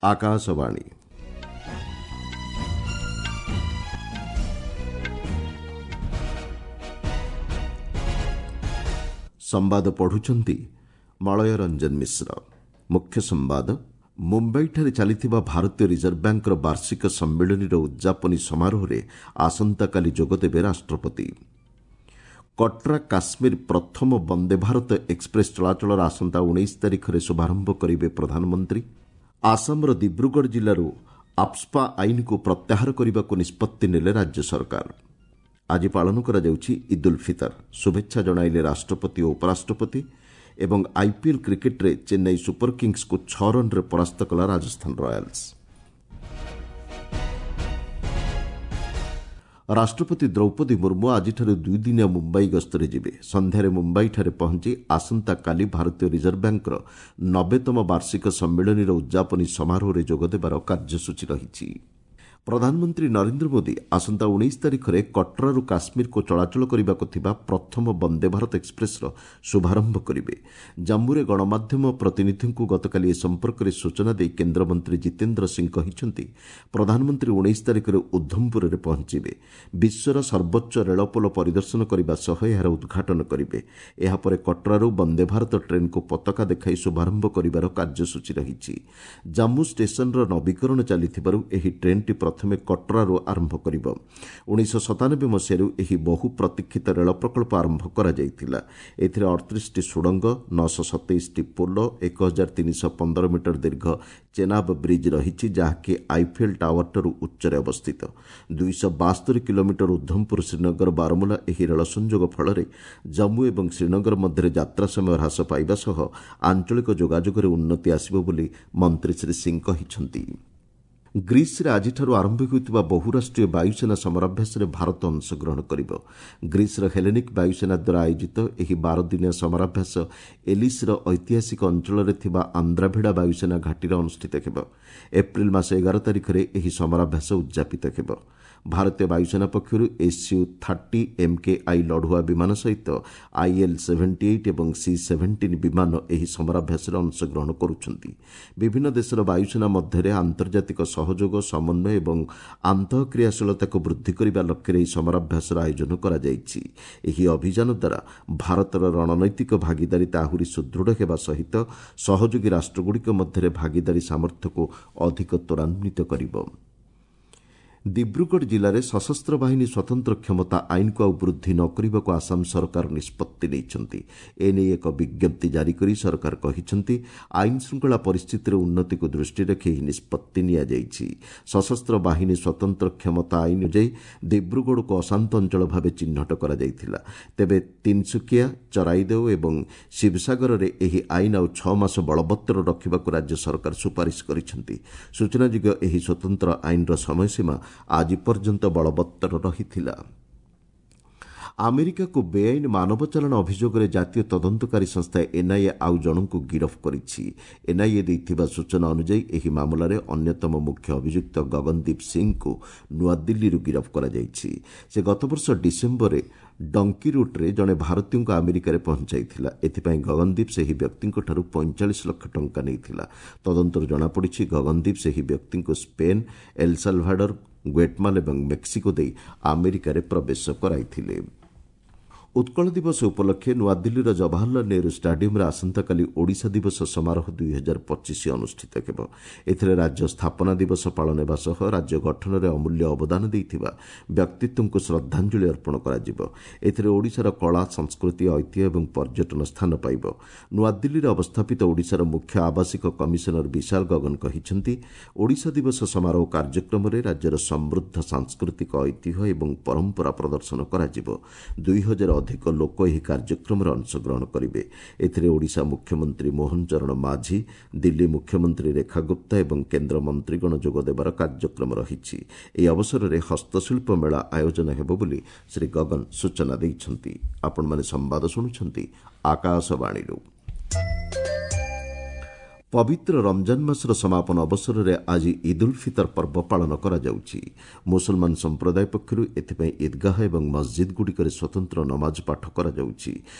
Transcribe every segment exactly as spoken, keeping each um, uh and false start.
ଆକାଶବାଣୀ ସମ୍ବାଦ ପଢୁଛନ୍ତି ମଳୟ ରଞ୍ଜନ ମିଶ୍ର। ମୁଖ୍ୟ ସମ୍ବାଦ, ମୁମ୍ବାଇଠାରେ ଚାଲିଥିବା ଭାରତୀୟ ରିଜର୍ଭ ବ୍ୟାଙ୍କର ବାର୍ଷିକ ସମ୍ମିଳନୀର ଉଦ୍ଯାପନୀ ସମାରୋହରେ ଆସନ୍ତାକାଲି ଯୋଗଦେବେ ରାଷ୍ଟ୍ରପତି। କଟ୍ରା କାଶ୍ମୀର ପ୍ରଥମ ବନ୍ଦେ ଭାରତ ଏକ୍ସପ୍ରେସ୍ ଚଳାଚଳର ଆସନ୍ତା ଉଣେଇଶ ତାରିଖରେ ଶୁଭାରମ୍ଭ କରିବେ ପ୍ରଧାନମନ୍ତ୍ରୀ। ଆସାମର ଦିବ୍ରୁଗଡ଼ ଜିଲ୍ଲାରୁ ଆଫ୍ସ୍ପା ଆଇନକୁ ପ୍ରତ୍ୟାହାର କରିବାକୁ ନିଷ୍ପତ୍ତି ନେଲେ ରାଜ୍ୟ ସରକାର। ଆଜି ପାଳନ କରାଯାଉଛି ଇଦ୍ ଉଲ୍ ଫିତର। ଶୁଭେଚ୍ଛା ଜଣାଇଲେ ରାଷ୍ଟ୍ରପତି ଓ ଉପରାଷ୍ଟ୍ରପତି। ଏବଂ ଆଇପିଏଲ୍ କ୍ରିକେଟ୍ରେ ଚେନ୍ନାଇ ସୁପର କିଙ୍ଗସ୍କୁ ଛଅ ରନ୍ରେ ପରାସ୍ତ କଲା ରାଜସ୍ଥାନ ରୟାଲ୍ସ। ରାଷ୍ଟ୍ରପତି ଦ୍ରୌପଦୀ ମୁର୍ମୁ ଆଜିଠାରୁ ଦୁଇଦିନିଆ ମୁମ୍ବାଇ ଗସ୍ତରେ ଯିବେ। ସନ୍ଧ୍ୟାରେ ମୁମ୍ବାଇଠାରେ ପହଞ୍ଚି ଆସନ୍ତାକାଲି ଭାରତୀୟ ରିଜର୍ଭ ବ୍ୟାଙ୍କର ନବେତମ ବାର୍ଷିକ ସମ୍ମିଳନୀର ଉଦ୍ଯାପନୀ ସମାରୋହରେ ଯୋଗଦେବାର କାର୍ଯ୍ୟସୂଚୀ ରହିଛି। ପ୍ରଧାନମନ୍ତ୍ରୀ ନରେନ୍ଦ୍ର ମୋଦି ଆସନ୍ତା ଉଣେଇଶ ତାରିଖରେ କଟ୍ରାରୁ କାଶ୍ମୀରକୁ ଚଳାଚଳ କରିବାକୁ ଥିବା ପ୍ରଥମ ବନ୍ଦେ ଭାରତ ଏକ୍ସପ୍ରେସ୍ର ଶୁଭାରମ୍ଭ କରିବେ। ଜାମ୍ମୁରେ ଗଣମାଧ୍ୟମ ପ୍ରତିନିଧିଙ୍କୁ ଗତକାଲି ଏ ସମ୍ପର୍କରେ ସୂଚନା ଦେଇ କେନ୍ଦ୍ରମନ୍ତ୍ରୀ ଜିତେନ୍ଦ୍ର ସିଂ କହିଛନ୍ତି, ପ୍ରଧାନମନ୍ତ୍ରୀ ଉଣେଇଶ ତାରିଖରେ ଉଦ୍ଧମପୁରରେ ପହଞ୍ଚିବେ। ବିଶ୍ୱର ସର୍ବୋଚ୍ଚ ରେଳପୋଲ ପରିଦର୍ଶନ କରିବା ସହ ଏହାର ଉଦ୍ଘାଟନ କରିବେ। ଏହାପରେ କଟ୍ରାରୁ ବନ୍ଦେ ଭାରତ ଟ୍ରେନ୍କୁ ପତାକା ଦେଖାଇ ଶୁଭାରମ୍ଭ କରିବାର କାର୍ଯ୍ୟସୂଚୀ ରହିଛି। ଜାମ୍ମୁ ଷ୍ଟେସନର ନବୀକରଣ ଚାଲିଥିବାରୁ ଏହି ଟ୍ରେନ୍ଟି ପ୍ରଥମେ କଟ୍ରାରୁ ଆରମ୍ଭ କରିବ। ଉଣେଇଶହ ସତାନବେ ମସିହାରୁ ଏହି ବହୁ ପ୍ରତୀକ୍ଷିତ ରେଳ ପ୍ରକଳ୍ପ ଆରମ୍ଭ କରାଯାଇଥିଲା। ଏଥିରେ ଅଠତିରିଶଟି ସୁଡ଼ଙ୍ଗ, ନଅଶହ ସତେଇଶଟି ପୋଲ, ଏକ ହଜାର ତିନିଶହ ପନ୍ଦର ମିଟର ଦୀର୍ଘ ଚେନାବ ବ୍ରିଜ୍ ରହିଛି, ଯାହାକି ଆଇଫେଲ୍ ଟାୱାରଠାରୁ ଉଚ୍ଚରେ ଅବସ୍ଥିତ। ଦୁଇଶହ ବାସ୍ତରି କିଲୋମିଟର ଉଦ୍ଧମପୁର ଶ୍ରୀନଗର ବାରମୁଲା ଏହି ରେଳ ସଂଯୋଗ ଫଳରେ ଜମ୍ମୁ ଏବଂ ଶ୍ରୀନଗର ମଧ୍ୟରେ ଯାତ୍ରା ସମୟ ହ୍ରାସ ପାଇବା ସହ ଆଞ୍ଚଳିକ ଯୋଗାଯୋଗରେ ଉନ୍ନତି ଆସିବ ବୋଲି ମନ୍ତ୍ରୀ ଶ୍ରୀ ସିଂ କହିଛନ୍ତି। ଗ୍ରୀସ୍ରେ ଆଜିଠାରୁ ଆରମ୍ଭ ହେଉଥିବା ବହୁରାଷ୍ଟ୍ରୀୟ ବାୟୁସେନା ସମରାଭ୍ୟାସରେ ଭାରତ ଅଂଶଗ୍ରହଣ କରିବ। ଗ୍ରୀସ୍ର ହେଲେନିକ୍ ବାୟୁସେନା ଦ୍ୱାରା ଆୟୋଜିତ ଏହି ବାରଦିନିଆ ସମରାଭ୍ୟାସ ଏଲିସ୍ର ଐତିହାସିକ ଅଞ୍ଚଳରେ ଥିବା ଆନ୍ଦ୍ରାଭିଡ଼ା ବାୟୁସେନା ଘାଟିରେ ଅନୁଷ୍ଠିତ ହେବ। ଏପ୍ରିଲ ମାସ ଏଗାର ତାରିଖରେ ଏହି ସମରାଭ୍ୟାସ ଉଦ୍ଯାପିତ ହେବ। ଭାରତୀୟ ବାୟୁସେନା ପକ୍ଷରୁ ଏସ୍ୟୁ ଥାର୍ଟି ଏମ୍କେଆଇ ଲଢୁଆ ବିମାନ ସହିତ ଆଇଏଲ୍ ସେଭେଣ୍ଟି ଏଇଟ୍ ଏବଂ ସି ସେଭେଣ୍ଟିନ୍ ବିମାନ ଏହି ସମରାଭ୍ୟାସରେ ଅଂଶଗ୍ରହଣ କରୁଛନ୍ତି। ବିଭିନ୍ନ ଦେଶର ବାୟୁସେନା ମଧ୍ୟରେ ଆନ୍ତର୍ଜାତିକ ସହଯୋଗ, ସମନ୍ୱୟ ଏବଂ ଆନ୍ତଃକ୍ରିୟାଶୀଳତାକୁ ବୃଦ୍ଧି କରିବା ଲକ୍ଷ୍ୟରେ ଏହି ସମରାଭ୍ୟାସର ଆୟୋଜନ କରାଯାଇଛି। ଏହି ଅଭିଯାନ ଦ୍ୱାରା ଭାରତର ରଣନୈତିକ ଭାଗିଦାରିତା ଆହୁରି ସୁଦୃଢ଼ ହେବା ସହିତ ସହଯୋଗୀ ରାଷ୍ଟ୍ରଗୁଡ଼ିକ ମଧ୍ୟରେ ଭାଗିଦାରୀ ସାମର୍ଥ୍ୟକୁ ଅଧିକ ତ୍ୱରାନ୍ୱିତ କରିବ। ଦିବ୍ରୁଗଡ଼ ଜିଲ୍ଲାରେ ସଶସ୍ତ୍ର ବାହିନୀ ସ୍ୱତନ୍ତ୍ର କ୍ଷମତା ଆଇନକୁ ଆଉ ବୃଦ୍ଧି ନ କରିବାକୁ ଆସାମ ସରକାର ନିଷ୍ପତ୍ତି ନେଇଛନ୍ତି। ଏନେଇ ଏକ ବିଜ୍ଞପ୍ତି ଜାରି କରି ସରକାର କହିଛନ୍ତି, ଆଇନ ଶୃଙ୍ଖଳା ପରିସ୍ଥିତିରେ ଉନ୍ନତିକୁ ଦୃଷ୍ଟିରେ ରଖି ଏହି ନିଷ୍ପତ୍ତି ନିଆଯାଇଛି। ସଶସ୍ତ୍ର ବାହିନୀ ସ୍ୱତନ୍ତ୍ର କ୍ଷମତା ଆଇନ ଅନୁଯାୟୀ ଦିବ୍ରୁଗଡ଼କୁ ଅଶାନ୍ତ ଅଞ୍ଚଳ ଭାବେ ଚିହ୍ନଟ କରାଯାଇଥିଲା। ତେବେ ତିନ୍ସୁକିଆ, ଚରାଇଦେଓ ଏବଂ ଶିବସାଗରରେ ଏହି ଆଇନ ଆଉ ଛଅ ମାସ ବଳବତ୍ତର ରଖିବାକୁ ରାଜ୍ୟ ସରକାର ସୁପାରିଶ କରିଛନ୍ତି। ସୂଚନାଯୋଗ୍ୟ, ଏହି ସ୍ୱତନ୍ତ୍ର ଆଇନର ସମୟସୀମା ଆଜି ପର୍ଯ୍ୟନ୍ତ ବଳବତ୍ତର ରହିଥିଲା। ଆମେରିକାକୁ ବେଆଇନ ମାନବ ଚାଲାଣ ଅଭିଯୋଗରେ ଜାତୀୟ ତଦନ୍ତକାରୀ ସଂସ୍ଥା ଏନ୍ଆଇଏ ଆଉ ଜଣଙ୍କୁ ଗିରଫ କରିଛି। ଏନ୍ଆଇଏ ଦେଇଥିବା ସୂଚନା ଅନୁଯାୟୀ ଏହି ମାମଲାରେ ଅନ୍ୟତମ ମୁଖ୍ୟ ଅଭିଯୁକ୍ତ ଗଗନଦୀପ ସିଂଙ୍କୁ ନୂଆଦିଲ୍ଲୀରୁ ଗିରଫ କରାଯାଇଛି। ସେ ଗତବର୍ଷ ଡିସେମ୍ବରରେ ଡଙ୍କି ରୁଟ୍ରେ ଜଣେ ଭାରତୀୟଙ୍କୁ ଆମେରିକାରେ ପହଞ୍ଚାଇଥିଲା। ଏଥିପାଇଁ ଗଗନଦୀପ ସେହି ବ୍ୟକ୍ତିଙ୍କଠାରୁ ପଇଁଚାଳିଶ ଲକ୍ଷ ଟଙ୍କା ନେଇଥିଲା। ତଦନ୍ତରୁ ଜଣାପଡ଼ିଛି, ଗଗନଦୀପ ସେହି ବ୍ୟକ୍ତିଙ୍କୁ ସ୍ପେନ୍, ଏଲ୍ସାଲଭାଡର, ଗ୍ୱେଟମାଲ ଏବଂ ମେକ୍ସିକୋ ଦେଇ ଆମେରିକାରେ ପ୍ରବେଶ କରାଇଥିଲେ। ଉତ୍କଳ ଦିବସ ଉପଲକ୍ଷେ ନୂଆଦିଲ୍ଲୀର ଜବାହରଲାଲ ନେହେରୁ ଷ୍ଟାଡିୟମ୍ରେ ଆସନ୍ତାକାଲି ଓଡ଼ିଶା ଦିବସ ସମାରୋହ ଦୁଇ ହଜାର ପଚିଶ ଅନୁଷ୍ଠିତ ହେବ। ଏଥିରେ ରାଜ୍ୟ ସ୍ଥାପନା ଦିବସ ପାଳନ ହେବା ସହ ରାଜ୍ୟ ଗଠନରେ ଅମୂଲ୍ୟ ଅବଦାନ ଦେଇଥିବା ବ୍ୟକ୍ତିତ୍ୱଙ୍କୁ ଶ୍ରଦ୍ଧାଞ୍ଜଳି ଅର୍ପଣ କରାଯିବ। ଏଥିରେ ଓଡ଼ିଶାର କଳା, ସଂସ୍କୃତି, ଐତିହ୍ୟ ଏବଂ ପର୍ଯ୍ୟଟନ ସ୍ଥାନ ପାଇବ। ନୂଆଦିଲ୍ଲୀରେ ଅବସ୍ଥାପିତ ଓଡ଼ିଶାର ମୁଖ୍ୟ ଆବାସିକ କମିଶନର ବିଶାଲ ଗଗନ କହିଛନ୍ତି, ଓଡ଼ିଶା ଦିବସ ସମାରୋହ କାର୍ଯ୍ୟକ୍ରମରେ ରାଜ୍ୟର ସମୃଦ୍ଧ ସାଂସ୍କୃତିକ ଐତିହ୍ୟ ଏବଂ ପରମ୍ପରା ପ୍ରଦର୍ଶନ କରାଯିବ। ଦୁଇ ହଜାର ଅଧିକ ଲୋକ ଏହି କାର୍ଯ୍ୟକ୍ରମରେ ଅଂଶଗ୍ରହଣ କରିବେ। ଏଥିରେ ଓଡ଼ିଶା ମୁଖ୍ୟମନ୍ତ୍ରୀ ମୋହନ ଚରଣ ମାଝୀ, ଦିଲ୍ଲୀ ମୁଖ୍ୟମନ୍ତ୍ରୀ ରେଖା ଗୁପ୍ତା ଏବଂ କେନ୍ଦ୍ର ମନ୍ତ୍ରୀଗଣ ଯୋଗଦେବାର କାର୍ଯ୍ୟକ୍ରମ ରହିଛି। ଏହି ଅବସରରେ ହସ୍ତଶିଳ୍ପ ମେଳା ଆୟୋଜନ ହେବ ବୋଲି ଶ୍ରୀ ଗଗନ ସୂଚନା ଦେଇଛନ୍ତି। ଆପଣମାନେ ସମ୍ବାଦ ଶୁଣୁଛନ୍ତି ଆକାଶବାଣୀରୁ। ପବିତ୍ର ରମଜାନ ମାସର ସମାପନ ଅବସରରେ ଆଜି ଇଦ୍ ଉଲ୍ ଫିତର ପର୍ବ ପାଳନ କରାଯାଉଛି। ମୁସଲମାନ ସମ୍ପ୍ରଦାୟ ପକ୍ଷରୁ ଏଥିପାଇଁ ଇଦ୍ଗାହ ଏବଂ ମସ୍ଜିଦ୍ଗୁଡ଼ିକରେ ସ୍ୱତନ୍ତ୍ର ନମାଜ ପାଠ କରାଯାଉଛି।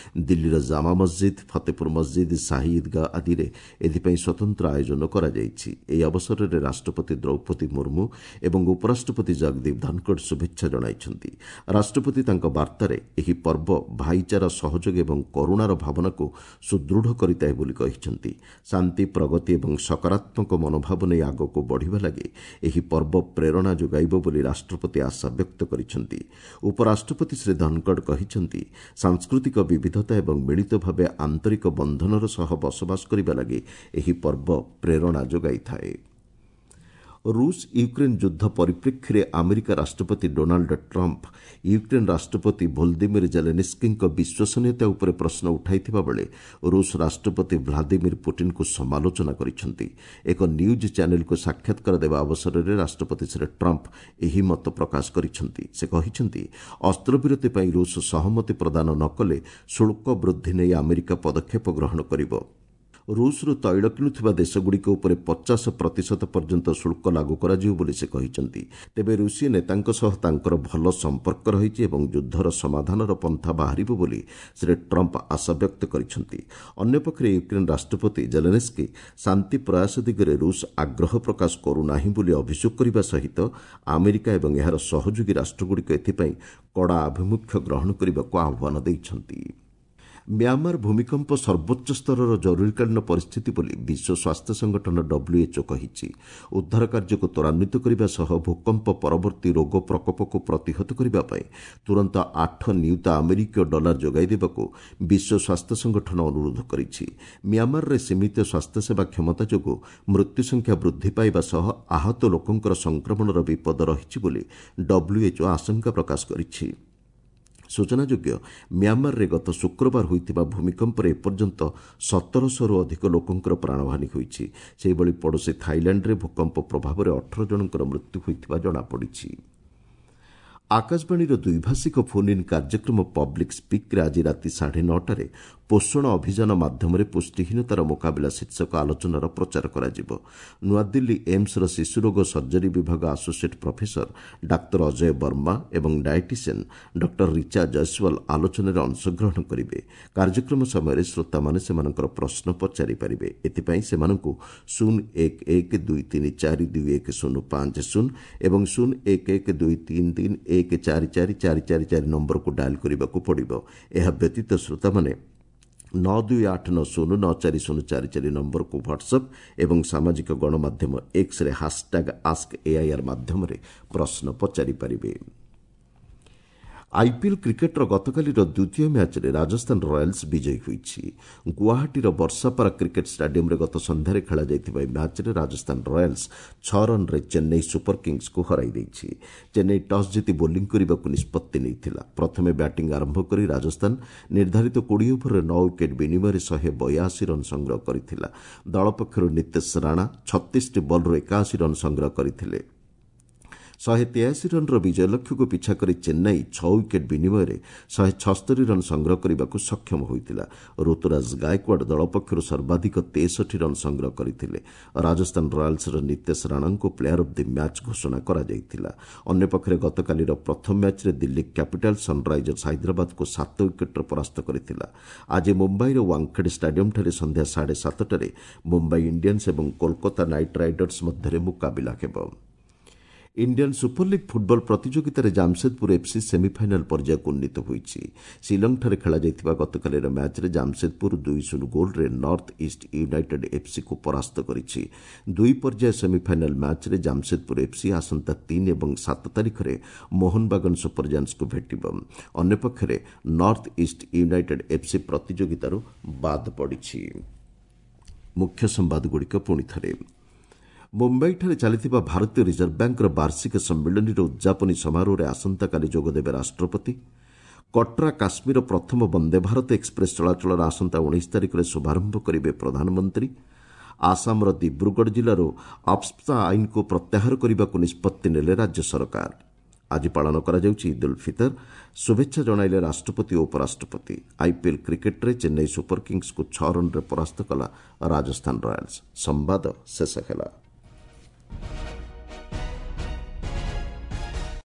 ଦିଲ୍ଲୀର ଜାମା ମସ୍ଜିଦ୍, ଫତେପୁର ମସ୍ଜିଦ୍, ସାହି ଇଦ୍ଗାହ ଆଦିରେ ଏଥିପାଇଁ ସ୍ୱତନ୍ତ୍ର ଆୟୋଜନ କରାଯାଇଛି। ଏହି ଅବସରରେ ରାଷ୍ଟ୍ରପତି ଦ୍ରୌପଦୀ ମୁର୍ମୁ ଏବଂ ଉପରାଷ୍ଟ୍ରପତି ଜଗଦୀପ ଧନଖଡ଼ ଶୁଭେଚ୍ଛା ଜଣାଇଛନ୍ତି। ରାଷ୍ଟ୍ରପତି ତାଙ୍କ ବାର୍ତ୍ତାରେ ଏହି ପର୍ବ ଭାଇଚାରା, ସହଯୋଗ ଏବଂ କରୁଣାର ଭାବନାକୁ ସୁଦୃଢ଼ କରିଥାଏ ବୋଲି କହିଛନ୍ତି। ଶାନ୍ତି, ପ୍ରଗତି ଏବଂ ସକାରାତ୍ମକ ମନୋଭାବ ନେଇ ଆଗକୁ ବଢ଼ିବା ଲାଗି ଏହି ପର୍ବ ପ୍ରେରଣା ଯୋଗାଇବ ବୋଲି ରାଷ୍ଟ୍ରପତି ଆଶା ବ୍ୟକ୍ତ କରିଛନ୍ତି। ଉପରାଷ୍ଟ୍ରପତି ଶ୍ରୀ ଧନଖଡ଼ କହିଛନ୍ତି, ସାଂସ୍କୃତିକ ବିବିଧତା ଏବଂ ମିଳିତ ଭାବେ ଆନ୍ତରିକ ବନ୍ଧନର ସହ ବସବାସ କରିବା ଲାଗି ଏହି ପର୍ବ ପ୍ରେରଣା ଯୋଗାଇଥାଏ। ରୁଷ ୟୁକ୍ରେନ୍ ଯୁଦ୍ଧ ପରିପ୍ରେକ୍ଷୀରେ ଆମେରିକା ରାଷ୍ଟ୍ରପତି ଡୋନାଲ୍ଡ ଟ୍ରମ୍ପ ୟୁକ୍ରେନ୍ ରାଷ୍ଟ୍ରପତି ଭୋଲଦିମିର ଜେଲେନିସ୍କିଙ୍କ ବିଶ୍ୱସନୀୟତା ଉପରେ ପ୍ରଶ୍ନ ଉଠାଇଥିବା ବେଳେ ରୁଷ ରାଷ୍ଟ୍ରପତି ଭ୍ଲାଦିମିର ପୁଟିନ୍ଙ୍କୁ ସମାଲୋଚନା କରିଛନ୍ତି। ଏକ ନ୍ୟୁଜ୍ ଚ୍ୟାନେଲକୁ ସାକ୍ଷାତକାର ଦେବା ଅବସରରେ ରାଷ୍ଟ୍ରପତି ଶ୍ରୀ ଟ୍ରମ୍ପ ଏହି ମତ ପ୍ରକାଶ କରିଛନ୍ତି। ସେ କହିଛନ୍ତି, ଅସ୍ତ୍ରବିରତି ପାଇଁ ରୁଷ ସହମତି ପ୍ରଦାନ ନ କଲେ ଶୁଳ୍କ ବୃଦ୍ଧି ନେଇ ଆମେରିକା ପଦକ୍ଷେପ ଗ୍ରହଣ କରିବ। ରୁଷରୁ ତୈଳ କିଣୁଥିବା ଦେଶଗୁଡ଼ିକ ଉପରେ ପଚାଶ ପ୍ରତିଶତ ପର୍ଯ୍ୟନ୍ତ ଶୁଳ୍କ ଲାଗୁ କରାଯିବ ବୋଲି ସେ କହିଛନ୍ତି। ତେବେ ରୁଷୀୟ ନେତାଙ୍କ ସହ ତାଙ୍କର ଭଲ ସମ୍ପର୍କ ରହିଛି ଏବଂ ଯୁଦ୍ଧର ସମାଧାନର ପନ୍ଥା ବାହାରିବ ବୋଲି ଶ୍ରୀ ଟ୍ରମ୍ପ ଆଶା ବ୍ୟକ୍ତ କରିଛନ୍ତି। ଅନ୍ୟପକ୍ଷରେ ୟୁକ୍ରେନ୍ ରାଷ୍ଟ୍ରପତି ଜେଲେନେସ୍କି ଶାନ୍ତି ପ୍ରୟାସ ଦିଗରେ ରୁଷ ଆଗ୍ରହ ପ୍ରକାଶ କରୁନାହିଁ ବୋଲି ଅଭିଯୋଗ କରିବା ସହିତ ଆମେରିକା ଏବଂ ଏହାର ସହଯୋଗୀ ରାଷ୍ଟ୍ରଗୁଡ଼ିକ ଏଥିପାଇଁ କଡ଼ା ଆଭିମୁଖ୍ୟ ଗ୍ରହଣ କରିବାକୁ ଆହ୍ୱାନ ଦେଇଛନ୍ତି। ମ୍ୟାମାର ଭୂମିକମ୍ପ ସର୍ବୋଚ୍ଚ ସ୍ତରର ଜରୁରୀକାଳୀନ ପରିସ୍ଥିତି ବୋଲି ବିଶ୍ୱ ସ୍ୱାସ୍ଥ୍ୟ ସଂଗଠନ WHO କହିଛି। ଉଦ୍ଧାର କାର୍ଯ୍ୟକୁ ତ୍ୱରାନ୍ୱିତ କରିବା ସହ ଭୂକମ୍ପ ପରବର୍ତ୍ତୀ ରୋଗ ପ୍ରକୋପକୁ ପ୍ରତିହତ କରିବା ପାଇଁ ତୁରନ୍ତ ଆଠ ନିୟୁତ ଆମେରିକୀୟ ଡଲାର ଯୋଗାଇ ଦେବାକୁ ବିଶ୍ୱ ସ୍ୱାସ୍ଥ୍ୟ ସଂଗଠନ ଅନୁରୋଧ କରିଛି। ମ୍ୟାମାରରେ ସୀମିତ ସ୍ୱାସ୍ଥ୍ୟସେବା କ୍ଷମତା ଯୋଗୁଁ ମୃତ୍ୟୁ ସଂଖ୍ୟା ବୃଦ୍ଧି ପାଇବା ସହ ଆହତ ଲୋକଙ୍କର ସଂକ୍ରମଣର ବିପଦ ରହିଛି ବୋଲି WHO ଆଶଙ୍କା ପ୍ରକାଶ କରିଛି। ସୂଚନାଯୋଗ୍ୟ, ମ୍ୟାମାରରେ ଗତ ଶୁକ୍ରବାର ହୋଇଥିବା ଭୂମିକମ୍ପରେ ଏପର୍ଯ୍ୟନ୍ତ ସତରଶହରୁ ଅଧିକ ଲୋକଙ୍କର ପ୍ରାଣହାନି ହୋଇଛି। ସେହିଭଳି ପଡ଼ୋଶୀ ଥାଇଲାଣ୍ଡରେ ଭୂକମ୍ପ ପ୍ରଭାବରେ ଅଠର ଜଣଙ୍କର ମୃତ୍ୟୁ ହୋଇଥିବା ଜଣାପଡ଼ିଛି। ଆକାଶବାଣୀର ଦ୍ୱିଭାଷିକ ଫୋନ୍ ଇନ୍ କାର୍ଯ୍ୟକ୍ରମ ପବ୍ଲିକ୍ ସ୍ପିକ୍ରେ ଆଜି ରାତି ସାଢ଼େ ନଅଟାରେ ପୋଷଣ ଅଭିଯାନ ମାଧ୍ୟମରେ ପୁଷ୍ଟିହୀନତାର ମୁକାବିଲା ଶୀର୍ଷକ ଆଲୋଚନାର ପ୍ରଚାର କରାଯିବ। ନୂଆଦିଲ୍ଲୀ ଏମ୍ସର ଶିଶୁରୋଗ ସର୍ଜରୀ ବିଭାଗ ଆସୋସିଏଟ୍ ପ୍ରଫେସର ଡାକ୍ତର ଅଜୟ ବର୍ମା ଏବଂ ଡାଏଟିସିଆନ୍ ଡକ୍ଟର ରିଚା ଜୟସ୍ୱାଲ ଆଲୋଚନାରେ ଅଂଶଗ୍ରହଣ କରିବେ। କାର୍ଯ୍ୟକ୍ରମ ସମୟରେ ଶ୍ରୋତାମାନେ ସେମାନଙ୍କର ପ୍ରଶ୍ନ ପଚାରିପାରିବେ। ଏଥିପାଇଁ ସେମାନଙ୍କୁ ଶୂନ ଏକ ଏକ ଦୁଇ ତିନି ଚାରି ଦୁଇ ଏକ ଶୂନ ପାଞ୍ଚ ଶୂନ ଏବଂ ଶୂନ ଏକ ଏକ ଦୁଇ ତିନି ତିନି ଏକ ଚାରି ଚାରି ଚାରି ଚାରି ଚାରି ନମ୍ବରକୁ ଡାଏଲ୍ କରିବାକୁ ପଡ଼ିବ। ଏହା ବ୍ୟତୀତ ଶ୍ରୋତାମାନେ ନଅ ଦୁଇ ଆଠ ନଅ ଶୂନ ନଅ ଚାରି ଶୂନ ଚାରି ଚାରି ନମ୍ବରକୁ ହ୍ୱାଟ୍ସଆପ୍ ଏବଂ ସାମାଜିକ ଗଣମାଧ୍ୟମ ଏକ୍ସରେ ହାସ୍ଟ୍ୟାଗ୍ ଆସ୍କ ଏଆଇଆର୍ ମାଧ୍ୟମରେ ପ୍ରଶ୍ନ ପଚାରିପାରିବେ। ଆଇପିଏଲ୍ କ୍ରିକେଟ୍ର ଗତକାଲିର ଦ୍ୱିତୀୟ ମ୍ୟାଚ୍ରେ ରାଜସ୍ଥାନ ରୟାଲ୍ସ ବିଜୟୀ ହୋଇଛି। ଗୁଆହାଟୀର ବର୍ଷାପାରା କ୍ରିକେଟ୍ ଷ୍ଟାଡିୟମ୍ରେ ଗତ ସନ୍ଧ୍ୟାରେ ଖେଳାଯାଇଥିବା ଏହି ମ୍ୟାଚ୍ରେ ରାଜସ୍ଥାନ ରୟାଲ୍ସ ଛଅ ରନ୍ରେ ଚେନ୍ନାଇ ସୁପର କିଙ୍ଗସ୍କୁ ହରାଇ ଦେଇଛି। ଚେନ୍ନାଇ ଟସ୍ ଜିତି ବୋଲିଂ କରିବାକୁ ନିଷ୍ପତ୍ତି ନେଇଥିଲା। ପ୍ରଥମେ ବ୍ୟାଟିଂ ଆରମ୍ଭ କରି ରାଜସ୍ଥାନ ନିର୍ଦ୍ଧାରିତ କୋଡ଼ିଏ ଓଭରରେ ନଅ ୱିକେଟ୍ ବିନିମୟରେ ଶହେ ବୟାଅଶୀ ରନ୍ ସଂଗ୍ରହ କରିଥିଲା। ଦଳ ପକ୍ଷରୁ ନୀତେଶ ରାଣା ଛତିଶଟି ବଲ୍ରୁ ଏକାଅଶୀ ରନ୍ ସଂଗ୍ରହ କରିଥିଲେ। ଶହେ ତେୟାଅଶୀ ରନ୍ର ବିଜୟ ଲକ୍ଷ୍ୟକୁ ପିଛା କରି ଚେନ୍ନାଇ ଛଅ ୱିକେଟ୍ ବିନିମୟରେ ଶହେ ଛସ୍ତରୀ ରନ୍ ସଂଗ୍ରହ କରିବାକୁ ସକ୍ଷମ ହୋଇଥିଲା। ଋତୁରାଜ ଗାଏକ୍ୱାଡ୍ ଦଳ ପକ୍ଷରୁ ସର୍ବାଧିକ ତେଷଠି ରନ୍ ସଂଗ୍ରହ କରିଥିଲେ। ରାଜସ୍ଥାନ ରୟାଲ୍ସର ନୀତେଶ ରାଣାଙ୍କୁ ପ୍ଲେୟାର ଅଫ୍ the match ଘୋଷଣା କରାଯାଇଥିଲା। ଅନ୍ୟପକ୍ଷରେ ଗତକାଲିର ପ୍ରଥମ ମ୍ୟାଚ୍ରେ ଦିଲ୍ଲୀ କ୍ୟାପିଟାଲ୍ସ ସନ୍ରାଇଜର୍ସ ହାଇଦ୍ରାବାଦକୁ ସାତ ୱିକେଟ୍ରେ ପରାସ୍ତ କରିଥିଲା। ଆଜି ମୁମ୍ବାଇର ୱାଙ୍ଗଖେଡେ ଷ୍ଟାଡିୟମ୍ଠାରେ ସନ୍ଧ୍ୟା ସାଢ଼େ ସାତଟାରେ ମୁମ୍ବାଇ ଇଣ୍ଡିଆନ୍ସ ଏବଂ କୋଲକାତା ନାଇଟ୍ ରାଇଡର୍ସ ମଧ୍ୟରେ ମୁକାବିଲା ହେବ। ଇଣ୍ଡିଆନ୍ ସୁପରଲିଗ୍ ଫୁଟବଲ ପ୍ରତିଯୋଗିତାରେ ଜାମସେଦପୁର ଏଫ୍ସି ସେମିଫାଇନାଲ୍ ପର୍ଯ୍ୟାୟକୁ ଉନ୍ନୀତ ହୋଇଛି। ଶିଲଂଠାରେ ଖେଳାଯାଇଥିବା ଗତକାଲିର ମ୍ୟାଚ୍ରେ ଜାମସେଦପୁର ଦୁଇ ଶୂନ ଗୋଲ୍ରେ ନର୍ଥ ଇଷ୍ଟ ୟୁନାଇଟେଡ୍ ଏଫ୍ସିକୁ ପରାସ୍ତ କରିଛି। ଦୁଇ ପର୍ଯ୍ୟାୟ ସେମିଫାଇନାଲ୍ ମ୍ୟାଚ୍ରେ ଜାମସେଦପୁର ଏଫ୍ସି ଆସନ୍ତା ତିନି ଏବଂ ସାତ ତାରିଖରେ ମୋହନବାଗନ ସୁପରଜାୟାଣ୍ଟସ୍କୁ ଭେଟିବ। ଅନ୍ୟପକ୍ଷରେ ନର୍ଥ ଇଷ୍ଟ ୟୁନାଇଟେଡ୍ ଏଫ୍ସି ପ୍ରତିଯୋଗିତାରୁ ବାଦ୍ ପଡ଼ିଛି। ମୁଖ୍ୟ ସମ୍ବାଦଗୁଡ଼ିକ ପୁଣି ଥରେ। ମୁମ୍ବାଇଠାରେ ଚାଲିଥିବା ଭାରତୀୟ ରିଜର୍ଭ ବ୍ୟାଙ୍କର ବାର୍ଷିକ ସମ୍ମିଳନୀର ଉଦ୍ଯାପନୀ ସମାରୋହରେ ଆସନ୍ତାକାଲି ଯୋଗଦେବେ ରାଷ୍ଟ୍ରପତି। କଟ୍ରା କାଶ୍ମୀର ପ୍ରଥମ ବନ୍ଦେ ଭାରତ ଏକ୍ସପ୍ରେସ୍ ଚଳାଚଳର ଆସନ୍ତା ଉଣେଇଶ ତାରିଖରେ ଶୁଭାରମ୍ଭ କରିବେ ପ୍ରଧାନମନ୍ତ୍ରୀ। ଆସାମର ଦିବ୍ରୁଗଡ଼ ଜିଲ୍ଲାରୁ ଆଫ୍ସ୍ପା ଆଇନକୁ ପ୍ରତ୍ୟାହାର କରିବାକୁ ନିଷ୍ପତ୍ତି ନେଲେ ରାଜ୍ୟ ସରକାର। ଆଜି ପାଳନ କରାଯାଉଛି ଇଦ୍ ଉଲ୍ ଫିତର। ଶୁଭେଚ୍ଛା ଜଣାଇଲେ ରାଷ୍ଟ୍ରପତି ଓ ଉପରାଷ୍ଟ୍ରପତି। ଆଇପିଏଲ୍ କ୍ରିକେଟ୍ରେ ଚେନ୍ନାଇ ସୁପର କିଙ୍ଗସ୍କୁ ଛଅ ରନ୍ରେ ପରାସ୍ତ କଲା ରାଜସ୍ଥାନ ରୟାଲ୍ସ। ସମ୍ବାଦ ଶେଷ ହେଲା।